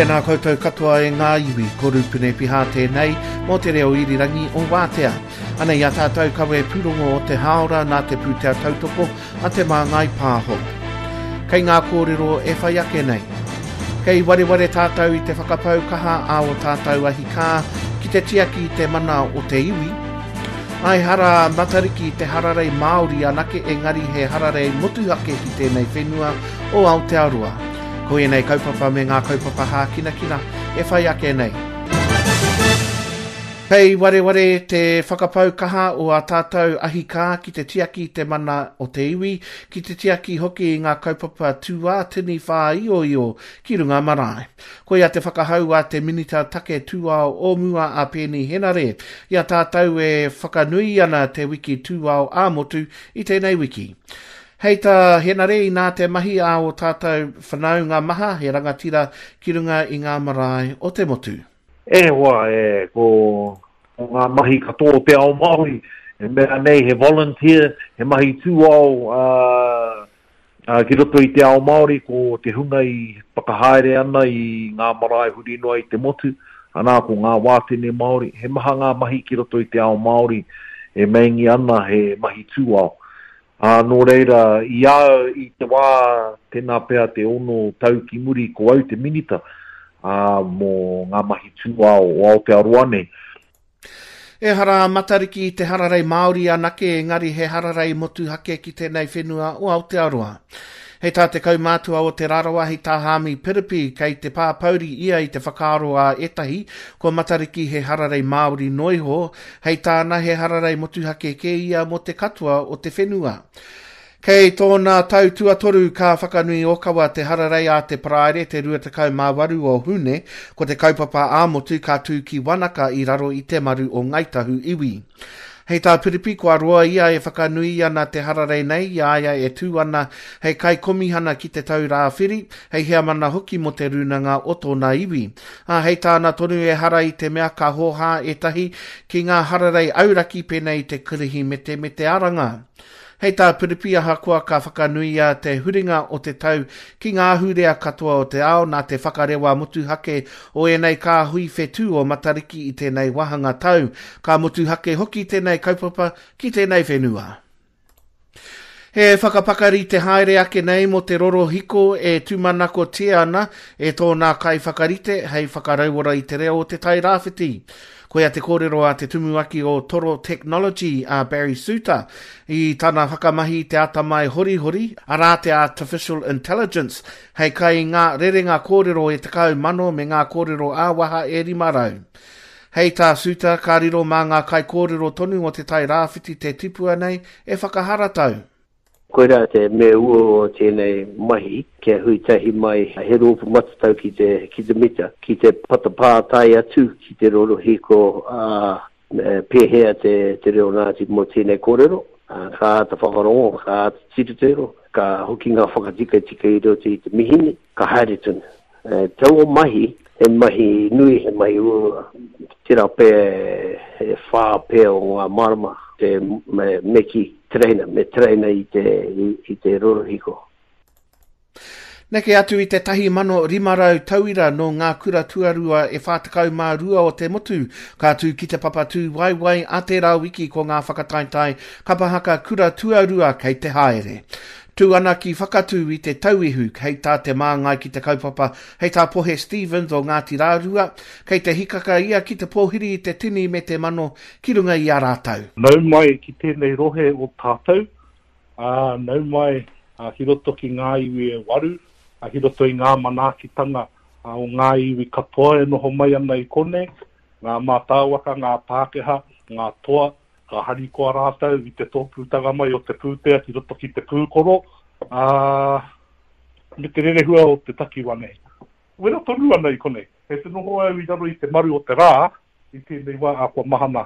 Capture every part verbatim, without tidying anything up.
Tēnā koutou katoa e ngā iwi, ko Rupene Piha tēnei mō te reo irirangi o Wātea. Anei a tātou kawe pūrongo o te hāora nā te pūtea tautoko a Te Māngai Pāho. Kei ngā kōrero e whai ake nei. Kei wareware tātou i te whakapau kaha a o tātou ahi kā ki te tiaki i te mana o te iwi. Ai hara Matariki te hararei Māori anake engari he hararei motuhake ki tēnei whenua o Aotearoa. Ko ēnei kaupapa me ngā kaupapa hākinakina e whai ake nei. Kei wareware te whakapau kaha o a tātou ahi kā ki te tiaki i te mana o te iwi, ki te tiaki hoki i ngā kaupapa tūātini whāioio ki runga marae. Koia te whakahau a te Minita Take Tūao o mua a Peeni Henare i a tātou e whakanui ana te wiki tūao ā-motu i tēnei wiki. Hei tā Henare inā te mahi a o tātou whanaunga maha he rangatira ki runga i ngā marae o te motu. E hoa, e, ko, ko ngā mahi katoa o te ao Māori, e mea nei he volunteer, he mahi tūao uh, uh, ki roto i te ao Māori, ko te hunga i whakahaere ana i ngā marae huri noa i te motu, anā ko ngā wātene Māori, he maha ngā mahi ki roto i te ao Māori e meingi ana he mahi tūao. Ā, nō reira, i a au i te wā, tēnā pea te ono tau ki muri ko au te minita, ā, mō ngā mahi tūao o Aotearoa nei. Ehara a Matariki i te hararei Māori anake, engari he hararei motuhake ki tēnei whenua o Aotearoa. Hei tā te kaumātua o Te Rarawa, hei tā Haami Piripi, kei te pāpouri ia i te whakaaro a ētahi, ko Matariki he hararei Māori noa iho, hei tāna he hararei motuhake kē ia mō te katoa o te whenua. Kei tōna tau tuatoru ka whakanui ōkawa te hararei a te Paraire te rua tekau mā waru o Hune, ko te kaupapa ā-motu ka tū ki Wanaka i raro i te maru o Ngāi Tahu iwi. Hei tā Piripi, kua roa ia e whakanui ana te hararei nei i a ia e tū ana hei kaikomihana ki Te Taura Whiri, hei heamana hoki mō te rūnanga o tōna iwi. Ā, hei tāna tonu ehara i te mea ka hōhā ētahi ki ngā hararei auraki pēnei i te Kirihimete me te Aranga. Hei tā Piripi, ahakoa ka whakanuia te huringa o te tau ki ngā ahurea katoa o te ao nā te whakarewa motuhake o ēnei kāhui whetū o Matariki i tēnei wāhanga tau, ka motuhake hoki tēnei kaupapa ki tēnei whenua. He whakapakari te haere ake nei mō te rorohiko e tūmanakotia ana e tōna kaiwhakarite hei whakarauora i te reo o Te Tai Rāwhiti. Koia te kōrero a te tumuaki o Toro Technology a Barry Suter i tana whakamahi i te atamai horihori, arā te Artificial Intelligence, hei kai i ngā rerenga kōrero e tekau mano me ngā kōrero ā-waha e rima rau. Hei tā Suter, ka riro mā ngā kaikōrero tonu o Te Tai Rāwhiti te tipua nei e whakaharatau. Koirā te mea uaua o tēnei mahi, kia hui tahi mai he rōpū matatau ki te, ki te mita, ki te patapātai atu ki te rorohiko, ā, pēhea te, te reo Ngāti mō tēnei kōrero, ā, ka āta whakarongo, ka āta tirotiro, ka hoki ngā whakatikatika i roto i te mihini, ka haere tonu. Taua mahi, he mahi nui, he mahi uaua, tērā pea e whā pea o ngā marama te me kī, tereina, me tereina i te, i te rorohiko. Neke atu i te tahi mano rima rau tauira nō ngā kura tuarua e whā tekau mā rua o te motu ka tū ki te papa tūwaewae a tērā wiki ko ngā whakataetae kapa haka kura tuarua kei te haere. Tū ana ki Whakatū i te Tauihu, hei tā te māngai ki te kaupapa, hei tā Pohe Stevens o Ngāti Rārua, kei te hikaka ia ki te pōhiri i te tini me te mano ki runga i a rātou. Nau mai ki tēnei rohe o tātou, ā, nau mai ki roto ki ngā iwi e waru, ā, ki roto i ngā manaakitanga o ngā iwi katoa e noho mai ana i konei, ngā mātāwaka, ngā Pākehā, ngā toa, ka harikoa rātou i te tōpūtanga mai o te pūtea ki roto ki te pūkoro, ā, me te rerehua o te takiwa nei. Wera tonu ana i konei. Kei te noho au i raro i te maru o te rā i tēnei wā, ā, kua mahana.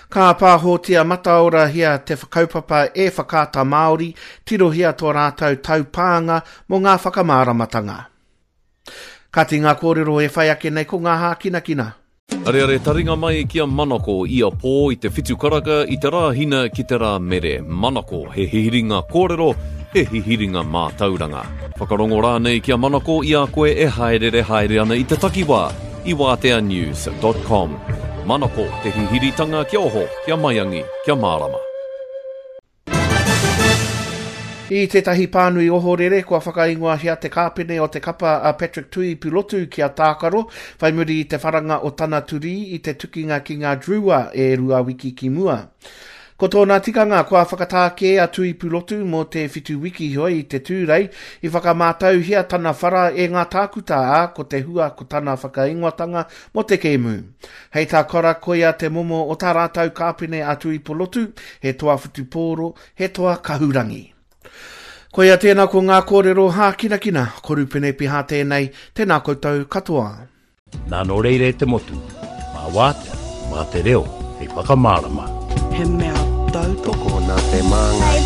Ka pāhotia mataorahia te kaupapa e Whakaata Māori, tirohia tō rātou taupānga mō ngā whakamāramatanga. Kāti ngā kōrero e whai ake nei ko ngā hākinakina. Areare taringa mai ki a Manako ia pō i te whitu karaka i te Rāhina ki te Rāmere. Manako, he hiringa kōrero, he hihiringa mātauranga. Whakarongo rānei ki a Manako i a koe e haerere haere ana i te takiwā, i wātea news dot com. Manako, te hihiritanga kia oho, kia maiangi, kia mārama. I tētahi pānui ohorere kua whakaingoahia te kāpene o te kapa a Patrick Tui Pilotu ki a Tākaro, whai muri i te wharanga o tana turi i te tukinga ki ngā Drua e rua wiki ki mua. Ko tōna tikanga kua whakatākē a Tui Pulotu mō te whitu wiki hoi i te tūrei, i whakamātauhia tana whara e ngā tākuta ā, ko te hua ko tana whakaingoatanga mō te kēmu. Hei tā Kora koia te momo o tā rātau kāpene a Tui Pulotu, he toa whutupōro, he toa kahurangi. Koia tēnā ko ngā kōrero hākinakina, ko Rupene Piha tēnei, tēnā koutou katoa. Nā nō reira e te motu, mā wātea, mā te reo, hei whakamārama. He mea tautoko nā te māngai.